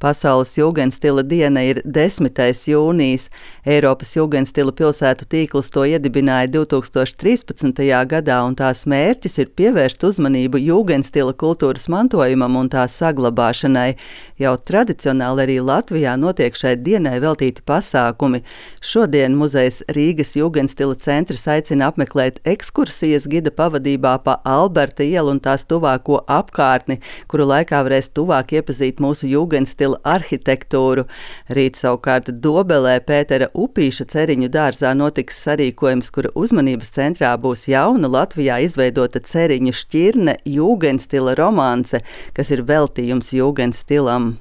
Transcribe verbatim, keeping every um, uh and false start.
Pasaules jūgendstila diena ir desmitais jūnijas. Eiropas jūgendstila pilsētu tīkls to iedibināja divi tūkstoši trīspadsmitajā gadā, un tās mērķis ir pievērst uzmanību jūgendstila kultūras mantojumam un tā saglabāšanai. Jau tradicionāli arī Latvijā notiek šai dienai veltīti pasākumi. Šodien muzejs Rīgas jūgendstila centrs aicina apmeklēt ekskursijas gida pavadībā pa Alberta ielu un tās tuvāko apkārtni, kuru laikā varēs tuvāk iepazīt mūsu jūgendstila arhitektūru. Rīt savukārt Dobelē Pētera Upīša ceriņu dārzā notiks sarīkojums, kura uzmanības centrā būs jauna Latvijā izveidota ceriņu šķirne jūgendstila romance, kas ir veltījums jūgendstilam.